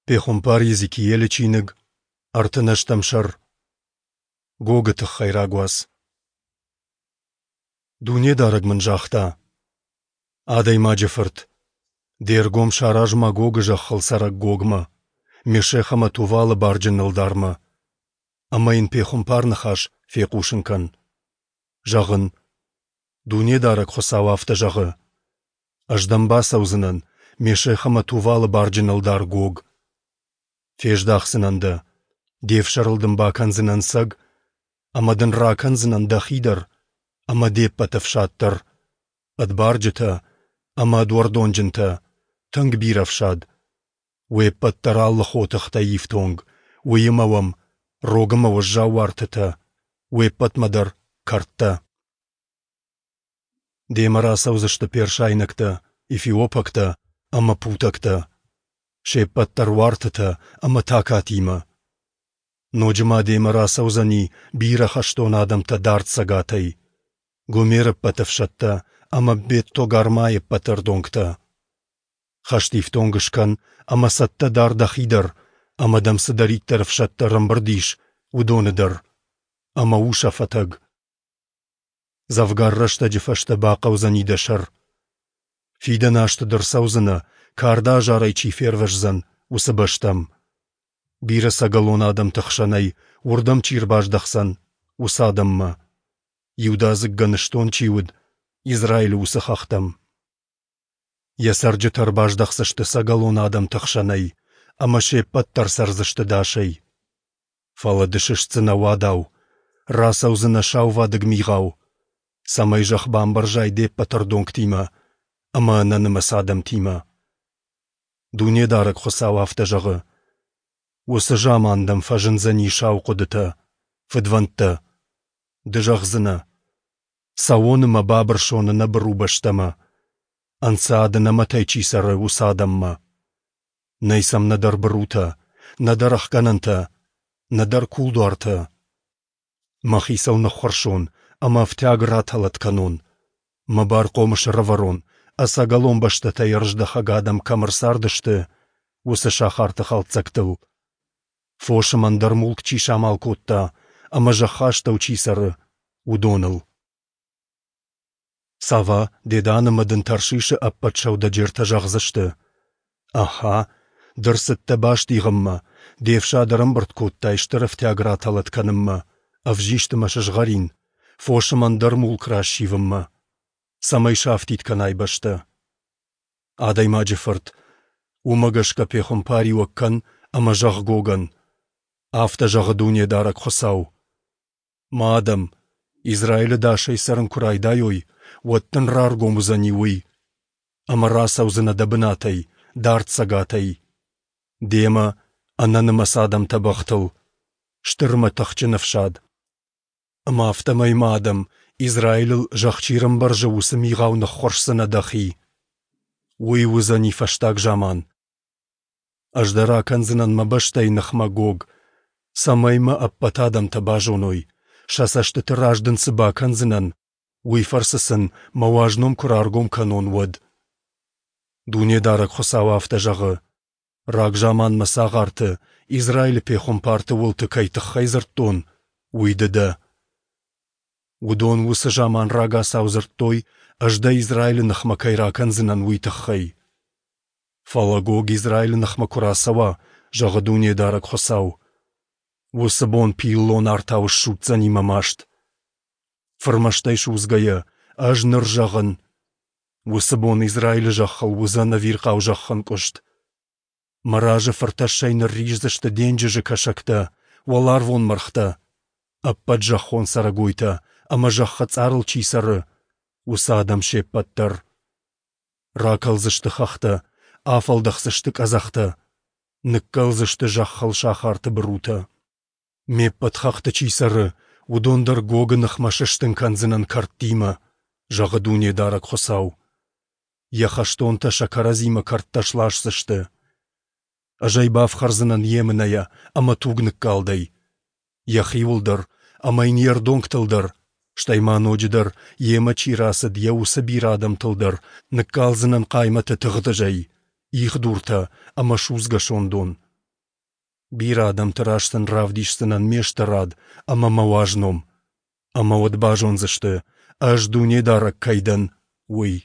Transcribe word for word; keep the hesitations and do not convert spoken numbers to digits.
Пехуымпар Йезекиелы чиныг, ӕртын ӕстӕм сӕр. Гогы тыххӕй рагуац. Дунедарӕг мын загъта: Адӕймаджы фырт, де ргом сараз Магогы зӕххыл цӕрӕг Гогмӕ, Мешех ӕмӕ Тувалы барджын ӕлдармӕ, ӕмӕ йын пехуымпар ныхас фехъусын кӕн. Зӕгъ ын: Дунедарӕг Хуыцау афтӕ зӕгъы: Ӕз дӕм бацӕудзынӕн, Мешех ӕмӕ Тувалы барджын ӕлдар Гог. Фездахдзынӕн дӕ, де фсӕрыл дын бакӕндзынӕн цӕг, ӕмӕ дын ракӕндзынӕн дӕхи дӕр ӕмӕ де ппӕт ӕфсад дӕр, ӕд барджытӕ ӕмӕ ӕд уӕрдонджынтӕ, тынг бирӕ ӕфсад. Уе ппӕт дӕр алы хотыхтӕй ифтонг, уыимӕ уӕм рог ӕмӕ уӕззау уартытӕ, уе ппӕтмӕ дӕр кӕрдтӕ. Демӕ рацӕудзысты персайнӕгтӕ, эфиопӕгтӕ ӕмӕ путӕгтӕ, се ппӕт дӕр уартытӕ ӕмӕ такатимӕ. Ноджы ма демӕ рацӕудзӕни бирӕ хӕстон адӕмтӕ дард цӕгатӕй, Гомеры ӕппӕт ӕфсӕдтӕ ӕмӕ Бет-Тогармайы ӕппӕт ӕрдонгтӕ. Хӕстифтонг скӕн ӕмӕ цӕттӕ дар дӕхи дӕр, ӕмӕ дӕм цыдӕриддӕр ӕфсӕдтӕ ӕрӕмбырд ис, уыдоны дӕр, ӕмӕ у сӕ фӕтӕг. Дзӕвгар рӕстӕджы фӕстӕ бахъӕудзӕни дӕ сӕр. Фидӕн азты ды рцӕудзынӕ, карды азарӕй чи фервӕздзӕн, уыцы бӕстӕм. Бирӕ ӕцӕгӕлон адӕмты хсӕнӕй уырдӕм чи ӕрбаздӕхдзӕн, уыцы адӕммӕ. Иудадзыг гӕныстон чи уыд, Израилы уыцы хӕхтӕм. Йӕ цӕрджытӕ ӕрбаздӕхдзысты ӕцӕгӕлон адӕмты хсӕнӕй, ӕмӕ се ппӕт дӕр цӕрдзысты дӕсӕй. Фӕлӕ ды сыстдзынӕ уадау, рацӕудзынӕ саувадыг мигъау, цӕмӕй зӕхх бамбӕрзай де ппӕт ӕрдонгтимӕ ӕмӕ ӕнӕнымӕц адӕмтимӕ. Дунедарӕг Хуыцау афтӕ зӕгъы: Уыцы заман дӕм фӕзындзӕни сау хъуыдытӕ, фыдвӕндтӕ. Ды зӕгъдзынӕ: Цӕуон ӕмӕ бабырсон ӕнӕбыру бӕстӕмӕ, ӕнцад ӕнӕмӕтӕй чи цӕры, уыцы адӕммӕ. Нӕй сӕм нӕдӕр бырутӕ, нӕдӕр ӕхгӕнӕнтӕ, нӕдӕр кулдуартӕ. Мӕхи сыл ныххуырсон ӕмӕ ӕфтиаг ратӕлӕт кӕнон, мӕ бархъомыс ӕрӕвӕрон, ӕцӕгӕлон бӕстӕтӕй ӕрыздӕхӕг адӕм кӕм ӕрцардысты, уыцы сахарты хӕлддзӕгтыл. Фос ӕмӕ ӕндӕр мулк чи самал кодта ӕмӕ зӕххы астӕу чи цӕры, уыдоныл. Сава, Дедан ӕмӕ дын Таршишы ӕппӕт сӕудӕджертӕ зӕгъдзысты: Аха, ды рцыдтӕ бастигъынмӕ, де фсад ӕрӕмбырд кодтай стыр ӕфтиаг ратӕлӕт кӕнынмӕ, ӕвзист ӕмӕ сызгъӕрин, фос ӕмӕ ӕндӕр мулк рассивынмӕ, цӕмӕй сафтид кӕнай бӕстӕ. Адӕймаджы фырт, уымӕ гӕсгӕ пехуымпариуӕг кӕн ӕмӕ зӕгъ Гогӕн: Афтӕ зӕгъы Дунедарӕг Хуыцау: Мӕ адӕм, Израилы дӕсӕй цӕрын куы райдайой, уӕд дын раргом уыдзӕни уый, ӕмӕ рацӕудзынӕ дӕ бынатӕй, дард цӕгатӕй. Демӕ ӕнӕнымӕц адӕмтӕ бӕхтыл, стыр ӕмӕ тыхджын ӕфсад. Ӕмӕ афтӕмӕй мӕ адӕм, Израилыл зӕхх чи рӕмбӕрзы, уыцы мигъау ныххуырсдзынӕ дӕхи. Уый уыдзӕни фӕстаг заман. Ӕз дӕр акӕндзынӕн мӕ бӕстӕйы ныхмӕ Гог, цӕмӕй мӕ ӕппӕт адӕмтӕ базоной, сӕ цӕстыты раз дын цы бакӕндзынӕн, уый фӕрцы сын мӕ уаз ном куы раргом кӕнон, уӕд. Дунедарӕг Хуыцау афтӕ зӕгъы: Рагзаман мӕ цагъарты, Израилы пехуымпарты уылты кӕй тыххӕй дзырдтон, уый ды дӕ. Уыдон уыцы заман рагацау дзырдтой, ӕз дӕ Израилы ныхмӕ кӕй ракӕндзынӕн, уый тыххӕй. Фӕлӕ Гог Израилы ныхмӕ куы рацӕуа, зӕгъы Дунедарӕг Хуыцау, уыцы бон пиллон артау ссудздзӕни мӕ маст. Фырмӕстӕй судзгӕйӕ, ӕз ныр зӕгъын, уыцы бон Израилы зӕххыл уыдзӕн ӕвирхъау зӕххӕнкъуыст. Мӕ разы фыртӕссӕй нырриздзысты денджызы кӕсӕгтӕ, уӕларвон мӕргътӕ, ӕппӕт зӕххон цӕрӕгойтӕ ӕмӕ зӕххы цъарыл чи цӕры, уыцы адӕм се ппӕт дӕр. Ракӕлдзысты хӕхтӕ, афӕлдӕхдзысты къӕдзӕхтӕ, ныккӕлдзысты зӕххыл сахарты бырутӕ. Ме ппӕт хӕхты чи цӕры, уыдон дӕр Гогы ныхмӕ сыстын кӕндзынӕн кӕрдтимӕ, зӕгъы Дунедарӕг Хуыцау. Йӕ хӕстонтӕ сӕ кӕрӕдзимӕ кӕрдтӕ сласдзысты. Ӕз ӕй бафхӕрдзынӕн емынӕйӕ ӕмӕ тугныккалдӕй. Йӕхиуыл дӕр ӕмӕ йын йе рдонгтыл дӕр, стӕй ма ноджыдӕр, йемӕ чи рацыд, йӕ уыцы бирӕ адӕмтыл дӕр ныккалдзынӕн хъаймӕты тыгъдызӕй, ихдуртӕ ӕмӕ судзгӕ сондон. Бирӕ адӕмты раз сын равдисдзынӕн Ме стырад ӕмӕ Мӕ уаз ном. Ӕмӕ уӕд базондзысты, Ӕз Дунедарӕг кӕй дӕн, уый.